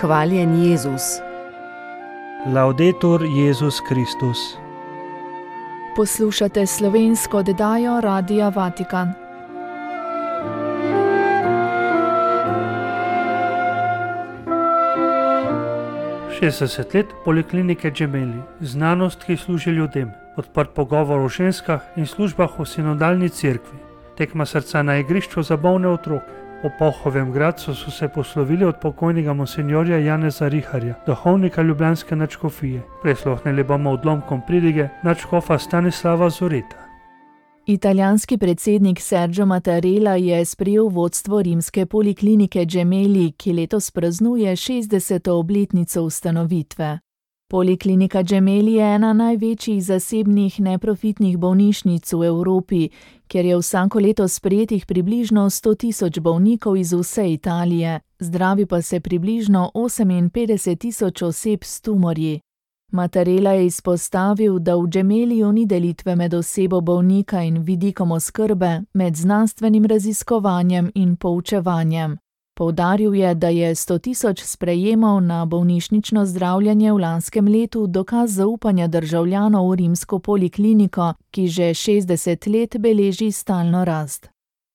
Hvaljen Jezus. Laudetur Jezus Kristus. Poslušate slovensko oddajo Radia Vatikan. Šestdeset let Poliklinike Gemelli, znanost, ki služi ljudem, odprt pogovor o ženskah in službah v sinodalni cerkvi, tekma srca na igrišču za bolne otroke. Po Pohovem Gradcu so se poslovili od pokojnega monsinjorja Janeza Riharja, duhovnika ljubljanske nadškofije. Prisluhnili bomo odlomkom pridige nadškofa Stanislava Zoreta. Italijanski predsednik Sergio Mattarella je sprejel vodstvo rimske Poliklinike Gemelli, ki letos praznuje 60. obletnico ustanovitve. Poliklinika Gemelli je ena največjih zasebnih neprofitnih bolnišnic v Evropi, kjer je vsako leto sprejetih približno 100.000 bolnikov iz vse Italije, zdravi pa se približno 58.000 oseb s tumorji. Mattarella je izpostavil, da v Gemelliju ni delitve med osebo bolnika in vidikom oskrbe, med znanstvenim raziskovanjem in poučevanjem. Poudaril je, da je 100.000 sprejemov na bolnišnično zdravljenje v lanskem letu dokaz zaupanja državljanov v rimsko polikliniko, ki že 60 let beleži stalno rast.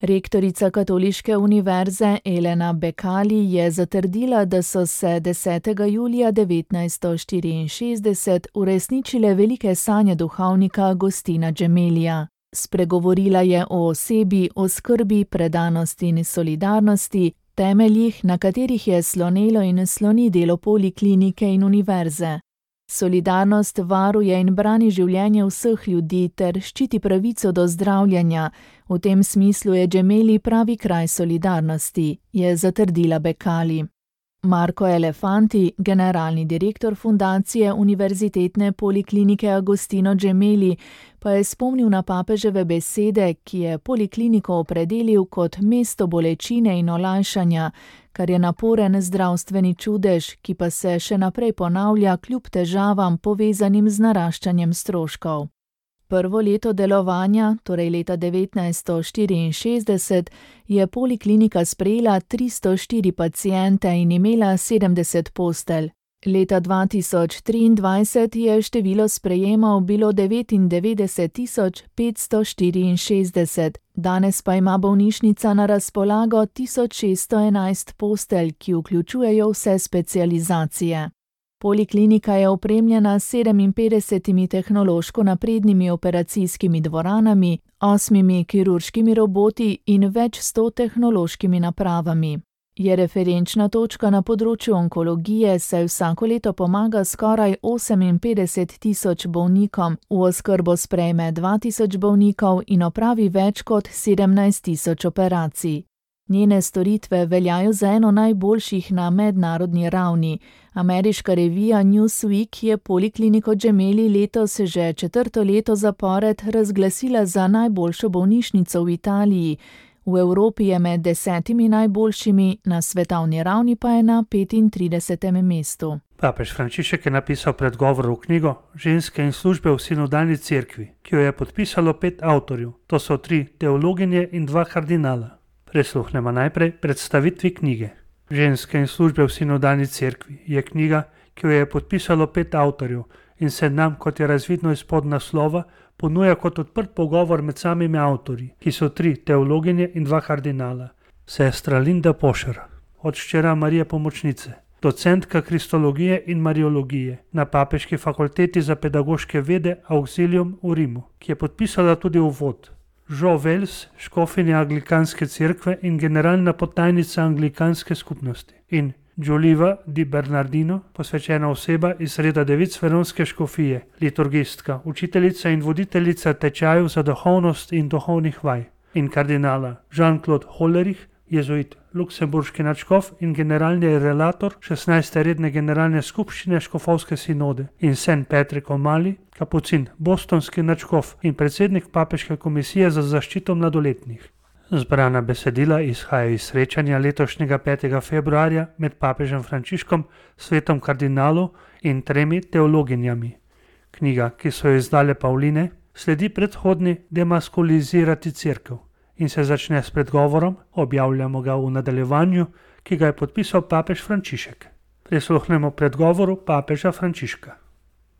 Rektorica Katoliške univerze Elena Becali je zatrdila, da so se 10. julija 1964 uresničile velike sanje duhovnika Agostina Gemellija. Spregovorila je o osebi, o skrbi, predanosti in solidarnosti, temeljih, na katerih je slonelo in sloni delo poliklinike in univerze. Solidarnost varuje in brani življenje vseh ljudi ter ščiti pravico do zdravljenja. V tem smislu je Gemelli pravi kraj solidarnosti, je zatrdila Becali. Marco Elefanti, generalni direktor fundacije Univerzitetne poliklinike Agostino Gemelli, pa je spomnil na papeževe besede, ki je polikliniko opredelil kot mesto bolečine in olajšanja, kar je naporen zdravstveni čudež, ki pa se še naprej ponavlja kljub težavam povezanim z naraščanjem stroškov. Prvo leto delovanja, torej leta 1964, je poliklinika sprejela 304 paciente in imela 70 postelj. Leta 2023 je število sprejemov bilo 99.564, danes pa ima bolnišnica na razpolago 1611 postelj, ki vključujejo vse specializacije. Poliklinika je opremljena s 57 tehnološko naprednimi operacijskimi dvoranami, 8 kirurškimi roboti in več 100 tehnološkimi napravami. Je referenčna točka na področju onkologije, saj vsako leto pomaga skoraj 58.000 bolnikom, v oskrbo sprejme 2.000 bolnikov in opravi več kot 17.000 operacij. Njene storitve veljajo za eno najboljših na mednarodni ravni. Ameriška revija Newsweek je Polikliniko Gemelli letos že 4. leto zapored razglasila za najboljšo bolnišnico v Italiji. V Evropi je med 10 najboljšimi, na svetovni ravni pa je na 35. mestu. Papež Frančišek je napisal predgovor v knjigo Ženske in službe v sinodalni cerkvi, ki jo je podpisalo 5 avtorjev. To so 3 teologinje in 2 kardinala. Prisluhnemo najprej predstavitvi knjige. Ženske in službe v sinodalni cerkvi je knjiga, ki jo je podpisalo 5 avtorjev in se nam, kot je razvidno iz podnaslova, ponuja kot odprt pogovor med samimi avtorji, ki so 3 teologinje in 2 kardinala. Sestra Linda Pošer, odščera Marije Pomočnice, docentka kristologije in mariologije na Papeški fakulteti za pedagoške vede Auxilium v Rimu, ki je podpisala tudi uvod. Jo Wells, škofinja Anglikanske cerkve in generalna potajnica Anglikanske skupnosti. In Giuliva di Bernardino, posvečena oseba iz reda devic veronske škofije, liturgistka, učiteljica in voditeljica tečajev za duhovnost in duhovnih vaj. In kardinala Jean-Claude Hollerich, jezuit, luksemburški nadškof in generalni relator 16. redne generalne skupščine škofovske sinode. In St. Patrick O'Malley, kapucin, bostonski nadškof in predsednik Papeške komisije za zaščito mladoletnih. Zbrana besedila izhajajo iz srečanja letošnjega 5. februarja med papežem Frančiškom, svetom kardinalov in 3 teologinjami. Knjiga, ki so jo izdale Pavline, sledi predhodni Demaskulizirati cerkev in se začne s predgovorom, objavljamo ga v nadaljevanju, ki ga je podpisal papež Frančišek. Prisluhnemo predgovoru papeža Frančiška.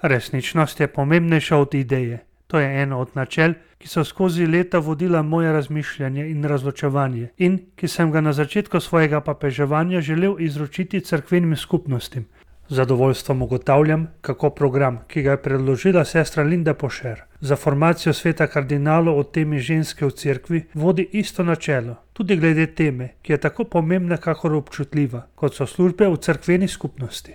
Resničnost je pomembnejša od ideje. To je eno od načel, ki so skozi leta vodila moje razmišljanje in razločevanje in ki sem ga na začetku svojega papeževanja želel izročiti cerkvenim skupnostim. Z zadovoljstvom ugotavljam, kako program, ki ga je predložila sestra Linda Pošer za formacijo sveta kardinalov o temi ženske v cerkvi, vodi isto načelo, tudi glede teme, ki je tako pomembna kakor občutljiva, kot so službe v cerkveni skupnosti.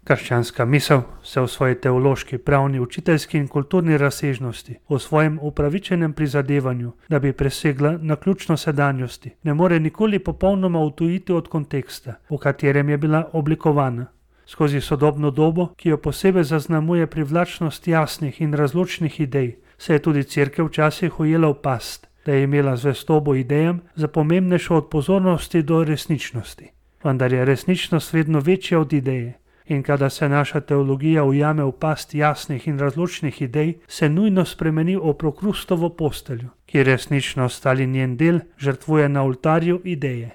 Krščanska misel se v svoji teološki, pravni, učiteljski in kulturni razsežnosti, v svojem upravičenem prizadevanju, da bi presegla naključno sedanjosti, ne more nikoli popolnoma odtujiti od konteksta, v katerem je bila oblikovana. Skozi sodobno dobo, ki jo posebej zaznamuje privlačnost jasnih in razločnih idej, se je tudi cerkev včasih ujela v past, da je imela zvestobo idejam za pomembnejšo od pozornosti do resničnosti. Vendar je resničnost vedno večja od ideje. In kada se naša teologija ujame v past jasnih in razločnih idej, se nujno spremeni v prokrustovo posteljo, ki resničnost ali njen del žrtvuje na oltarju ideje.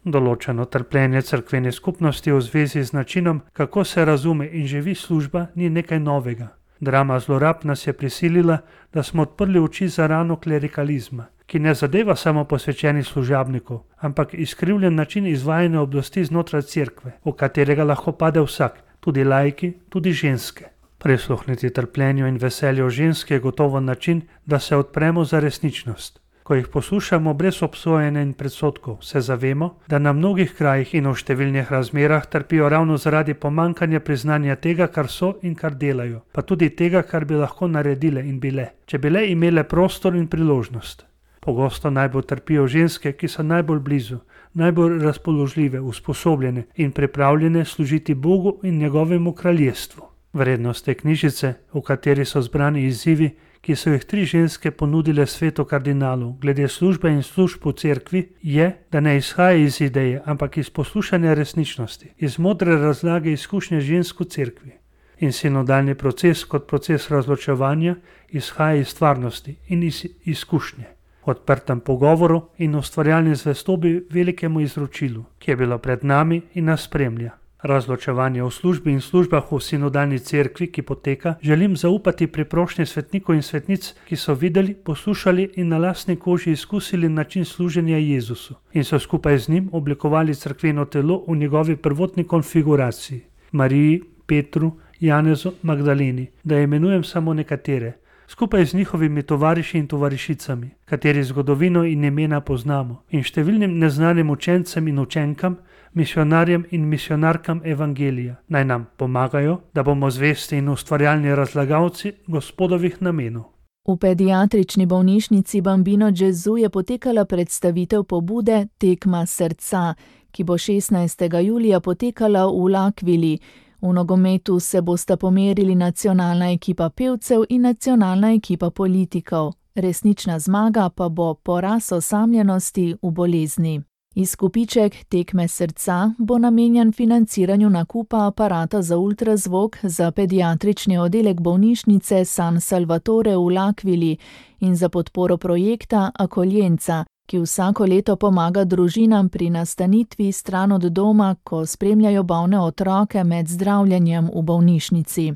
Določeno trpljenje cerkvene skupnosti v zvezi z načinom, kako se razume in živi služba, ni nekaj novega. Drama zlorab nas je prisilila, da smo odprli oči za rano klerikalizma, ki ne zadeva samo posvečenih služabnikov, ampak izkrivljen način izvajanja oblasti znotraj cerkve, v katerega lahko pade vsak, tudi laiki, tudi ženske. Prisluhniti trpljenju in veselju ženske je gotovo način, da se odpremo za resničnost. Ko jih poslušamo brez obsojanja in predsodkov, se zavemo, da na mnogih krajih in v številnih razmerah trpijo ravno zaradi pomanjkanja priznanja tega, kar so in kar delajo, pa tudi tega, kar bi lahko naredile in bile, če bi le imele prostor in priložnost. Pogosto najbolj trpijo ženske, ki so najbolj blizu, najbolj razpoložljive, usposobljene in pripravljene služiti Bogu in njegovemu kraljestvu. Vrednost te knjižice, v kateri so zbrani izzivi, ki so jih 3 ženske ponudile svetu kardinalov glede službe in služb v cerkvi, je, da ne izhaja iz ideje, ampak iz poslušanja resničnosti, iz modre razlage izkušnje žensk v cerkvi. In sinodalni proces kot proces razločevanja izhaja iz stvarnosti in iz izkušnje. V odprtem pogovoru in ustvarjalni zvestobi velikemu izročilu, ki je bilo pred nami in nas spremlja. Razločevanje v službi in službah v sinodalni cerkvi, ki poteka, želim zaupati pri prošnji svetnikov in svetnic, ki so videli, poslušali in na lastni koži izkusili način služenja Jezusu in so skupaj z njim oblikovali cerkveno telo v njegovi prvotni konfiguraciji. Mariji, Petru, Janezu, Magdaleni, da imenujem samo nekatere, skupaj z njihovimi tovariši in tovarišicami, kateri zgodovino in imena poznamo, in številnim neznanim učencem in učenkam, misionarjem in misionarkam evangelija, naj nam pomagajo, da bomo zvesti in ustvarjalni razlagalci Gospodovih namenov. V pediatrični bolnišnici Bambino Gesù je potekala predstavitev pobude Tekma srca, ki bo 16. julija potekala v L'Aquili. V nogometu se bosta pomerili nacionalna ekipa pevcev in nacionalna ekipa politikov. Resnična zmaga pa bo poraz osamljenosti v bolezni. Izkupiček Tekme srca bo namenjen financiranju nakupa aparata za ultrazvok za pediatrični oddelek bolnišnice San Salvatore v L'Aquili in za podporo projekta Akoljenca, ki vsako leto pomaga družinam pri nastanitvi stran od doma, ko spremljajo bolne otroke med zdravljenjem v bolnišnici.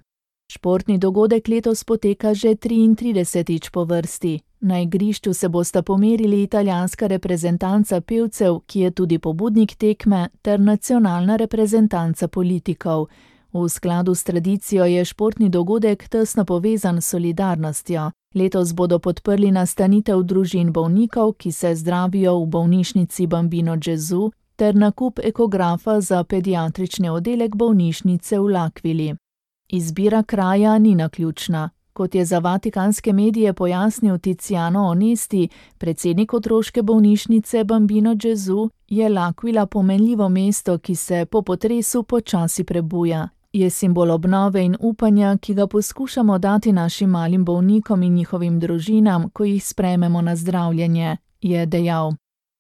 Športni dogodek letos poteka že 33. po vrsti. Na igrišču se bosta pomerili italijanska reprezentanca pevcev, ki je tudi pobudnik tekme, ter nacionalna reprezentanca politikov. V skladu s tradicijo je športni dogodek tesno povezan s solidarnostjo. Letos bodo podprli nastanitev družin bolnikov, ki se zdravijo v bolnišnici Bambino Gesù, ter nakup ekografa za pediatrični oddelek bolnišnice v L'Aquili. Izbira kraja ni naključna. Kot je za vatikanske medije pojasnil Tiziano Onesti, predsednik otroške bolnišnice Bambino Gesù, je L'Aquila pomenljivo mesto, ki se po potresu počasi prebuja. Je simbol obnove in upanja, ki ga poskušamo dati našim malim bolnikom in njihovim družinam, ko jih sprejmemo na zdravljenje, je dejal.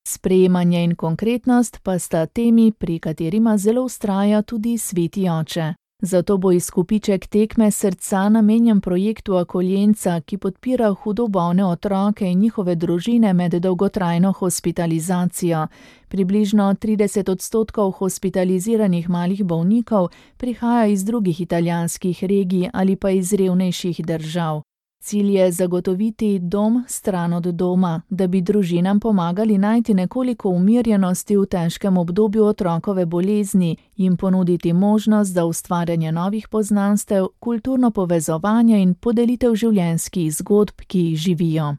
Sprejemanje in konkretnost pa sta temi, pri katerima zelo vztraja tudi sveti oče. Zato bo izkupiček tekme srca namenjen projektu Akoljenca, ki podpira hudo bolne otroke in njihove družine med dolgotrajno hospitalizacijo. Približno 30% hospitaliziranih malih bolnikov prihaja iz drugih italijanskih regij ali pa iz revnejših držav. Cilj je zagotoviti dom stran od doma, da bi družinam pomagali najti nekoliko umirjenosti v težkem obdobju otrokove bolezni, jim ponuditi možnost za ustvarjanje novih poznanstev, kulturno povezovanje in podelitev življenjskih zgodb, ki jih živijo.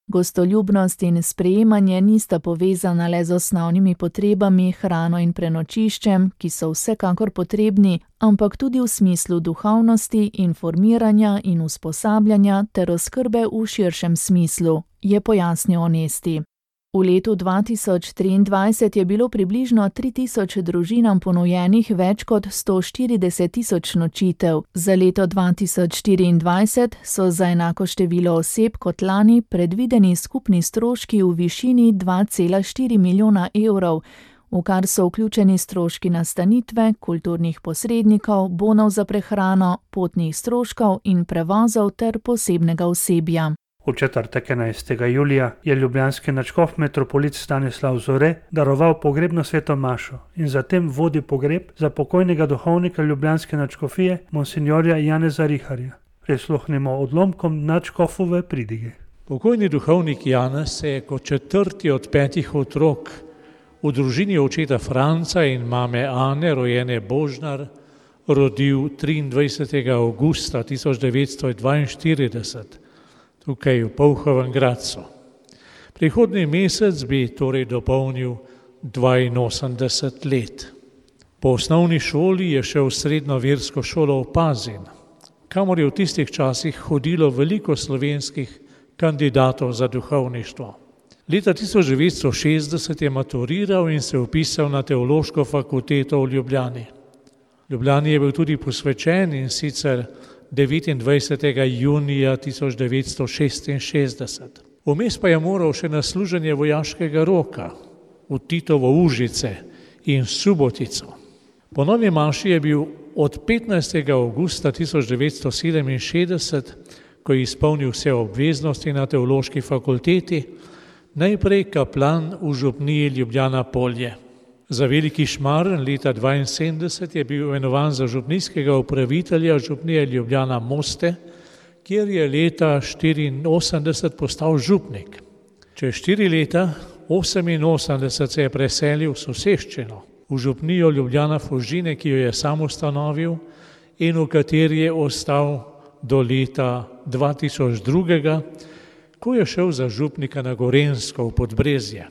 Gostoljubnost in sprejemanje nista povezana le z osnovnimi potrebami, hrano in prenočiščem, ki so vsekakor potrebni, ampak tudi v smislu duhovnosti, informiranja in usposabljanja ter oskrbe v širšem smislu, je pojasnil Onesti. V letu 2023 je bilo približno 3000 družinam ponujenih več kot 140.000 nočitev. Za leto 2024 so za enako število oseb kot lani predvideni skupni stroški v višini 2,4 milijona evrov, v kar so vključeni stroški nastanitve, kulturnih posrednikov, bonov za prehrano, potnih stroškov in prevozov ter posebnega osebja. V četrtek 11. julija je ljubljanski nadškof metropolit Stanislav Zore daroval pogrebno sveto mašo in zatem vodil pogreb za pokojnega duhovnika ljubljanske nadškofije monsinjorja Janeza Riharja. Prisluhnimo odlomkom nadškofove pridige. Pokojni duhovnik Janez se je kot četrti od 5 otrok v družini očeta Franca in mame Ane, rojene Božnar, rodil 23. avgusta 1942. Tukaj v Polhovem Gradcu. Prihodnji mesec bi torej dopolnil 82 let. Po osnovni šoli je šel v srednjo versko šolo v Pazin, kamor je v tistih časih hodilo veliko slovenskih kandidatov za duhovništvo. Leta 1960 je maturiral in se vpisal na teološko fakulteto v Ljubljani. Ljubljani je bil tudi posvečen in sicer 29. junija 1966. Vmes pa je moral še na služenje vojaškega roka v Titovo Užice in Subotico. Po novi maši je bil od 15. avgusta 1967, ko je izpolnil vse obveznosti na teološki fakulteti, najprej kaplan v župniji Ljubljana Polje. Za Veliki Šmarn leta 1972 je bil imenovan za župnijskega upravitelja župnije Ljubljana Moste, kjer je leta 1984 postal župnik. Čez 4 leta, 1988, se je preselil v soseščino, v župnijo Ljubljana Fužine, ki jo je sam ustanovil in v kateri je ostal do leta 2002, ko je šel za župnika na Gorenjsko v Podbrezje.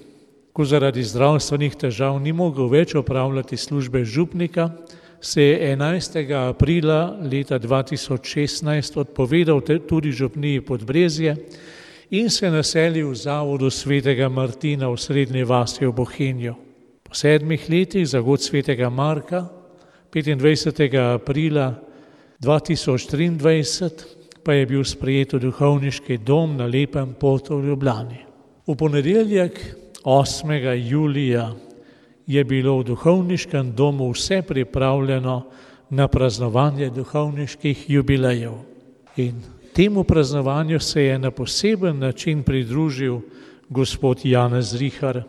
Ko zaradi zdravstvenih težav ni mogel več opravljati službe župnika, se je 11. aprila leta 2016 odpovedal tudi župniji Podbrezje in se naselil v zavodu svetega Martina v Srednji vasi v Bohinju. Po 7 letih za god svetega Marka, 25. aprila 2023, pa je bil sprejet v duhovniški dom na Lepem Potu v Ljubljani. V ponedeljek 8. julija je bilo v duhovniškem domu vse pripravljeno na praznovanje duhovniških jubilejev. In temu praznovanju se je na poseben način pridružil gospod Janez Rihar,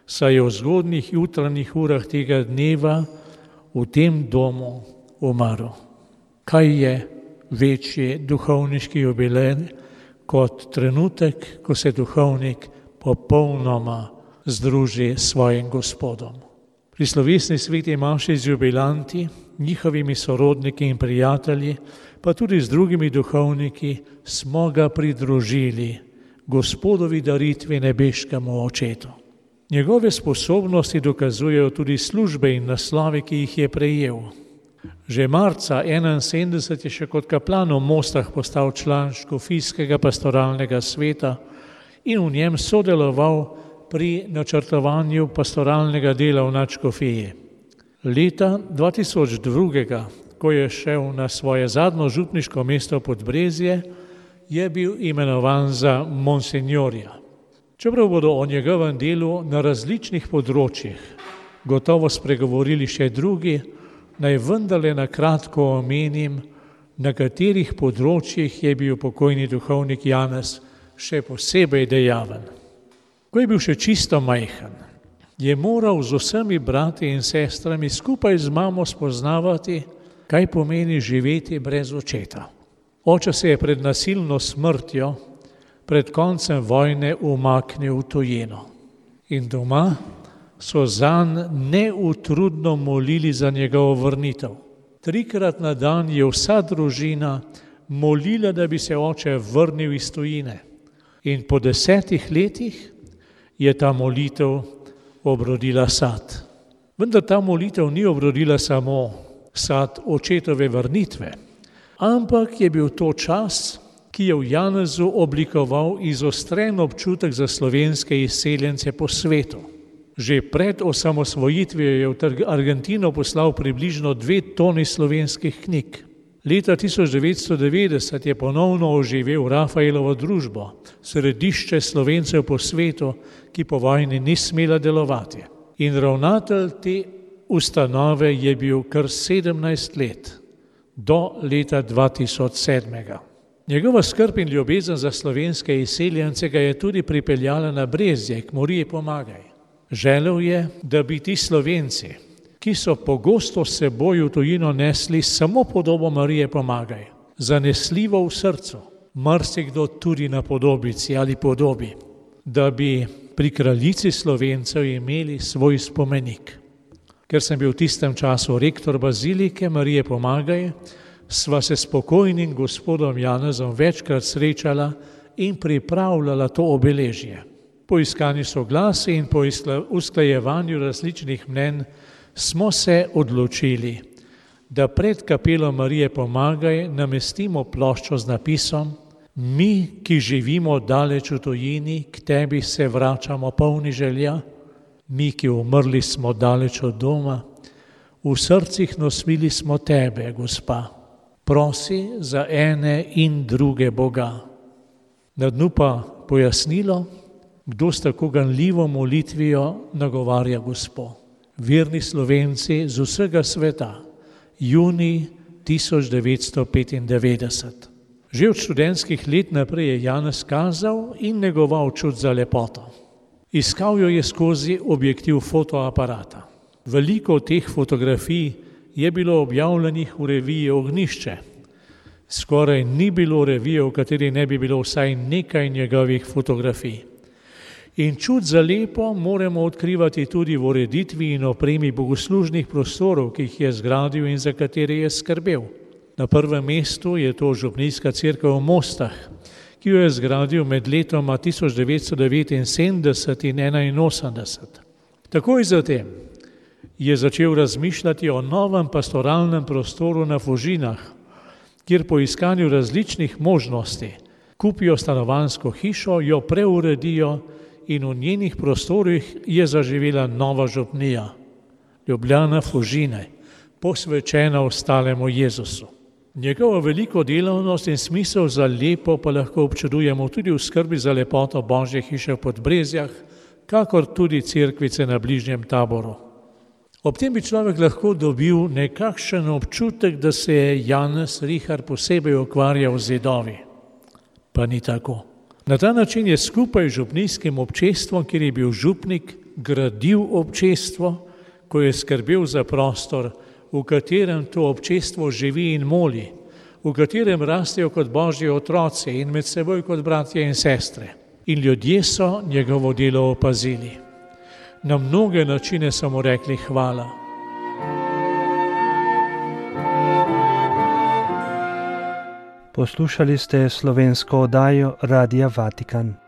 saj je v zgodnjih jutranjih urah tega dneva v tem domu umrl. Kaj je večji duhovniški jubilej kot trenutek, ko se duhovnik popolnoma združi s svojim Gospodom. Pri slovesni sveti maši z jubilanti, njihovimi sorodniki in prijatelji, pa tudi z drugimi duhovniki, smo ga pridružili Gospodovi daritvi nebeškemu Očetu. Njegove sposobnosti dokazujejo tudi službe in naslovi, ki jih je prejel. Že marca 1971 je še kot kaplan v Mostah postal član škofijskega pastoralnega sveta in v njem sodeloval pri načrtovanju pastoralnega dela v nadškofiji. Leta 2002, ko je šel na svoje zadnjo župniško mesto Podbrezje, je bil imenovan za monsinjorja. Čeprav bodo o njegovem delu na različnih področjih gotovo spregovorili še drugi, naj vendarle na kratko omenim, na katerih področjih je bil pokojni duhovnik Janez še posebej dejaven. Ko je bil še čisto majhen, je moral z vsemi brati in sestrami skupaj z mamo spoznavati, kaj pomeni živeti brez očeta. Oče se je pred nasilno smrtjo, pred koncem vojne umaknil v tujino. In doma so zanj neutrudno molili za njegovo vrnitev. 3-krat na dan je vsa družina molila, da bi se oče vrnil iz tujine. In po 10 letih je ta molitev obrodila sad. Vendar ta molitev ni obrodila samo sad očetove vrnitve, ampak je bil to čas, ki je v Janezu oblikoval izostren občutek za slovenske izseljence po svetu. Že pred osamosvojitvijo je v Argentino poslal približno 2 toni slovenskih knjig. Leta 1990 je ponovno oživel Rafaelovo družbo, središče Slovencev po svetu, ki po vojni ni smela delovati. In ravnatelj te ustanove je bil kar 17 let, do leta 2007. Njegova skrb in ljubezen za slovenske izseljence ga je tudi pripeljala na Brezje, k Mariji Pomagaj. Želel je, da bi ti Slovenci, ki so pogosto s seboj v tujino nesli samo podobo Marije Pomagaj, zanesljivo v srcu, marsikdo tudi na podobici ali podobi, da bi pri kraljici Slovencev imeli svoj spomenik. Ker sem bil v tistem času rektor bazilike Marije Pomagaj, sva se s pokojnim gospodom Janezom večkrat srečala in pripravljala to obeležje. Po iskanju soglasja in po usklajevanju različnih mnenj smo se odločili, da pred kapelo Marije Pomagaj namestimo ploščo z napisom: Mi, ki živimo daleč v tujini, k tebi se vračamo polni želja, mi, ki umrli smo daleč od doma, v srcih nosili smo tebe, gospa, prosi za ene in druge Boga. Na dnu pa pojasnilo, kdo s tako ganljivo molitvijo nagovarja Gospo. Verni Slovenci z vsega sveta, junij 1995. Že od študentskih let naprej je Janez kazal in negoval čut za lepoto. Iskal jo je skozi objektiv fotoaparata. Veliko teh fotografij je bilo objavljenih v reviji Ognjišče. Skoraj ni bilo revije, v kateri ne bi bilo vsaj nekaj njegovih fotografij. In čut za lepo moramo odkrivati tudi v ureditvi in opremi bogoslužnih prostorov, ki jih je zgradil in za katere je skrbel. Na prvem mestu je to župnijska cerkev v Mostah, ki jo je zgradil med letoma 1979 in 1981. Takoj zatem je začel razmišljati o novem pastoralnem prostoru na Fužinah, kjer po iskanju različnih možnosti kupijo stanovanjsko hišo, jo preuredijo in v njenih prostorih je zaživela nova župnija, Ljubljana Fužine, posvečena ostalemu Jezusu. Njegovo veliko delavnost in smisel za lepo pa lahko občudujemo tudi v skrbi za lepoto Božje hiše v Podbrezjah, kakor tudi cerkvice na bližnjem Taboru. Ob tem bi človek lahko dobil nekakšen občutek, da se je Janez Rihar posebej ukvarjal z zidovi. Pa ni tako. Na ta način je skupaj z župnijskim občestvom, kjer je bil župnik, gradil občestvo, ko je skrbel za prostor, v katerem to občestvo živi in moli, v katerem rastejo kot Božji otroci in med seboj kot bratje in sestre. In ljudje so njegovo delo opazili. Na mnoge načine so mu rekli hvala. Poslušali ste slovensko oddajo Radia Vatikan.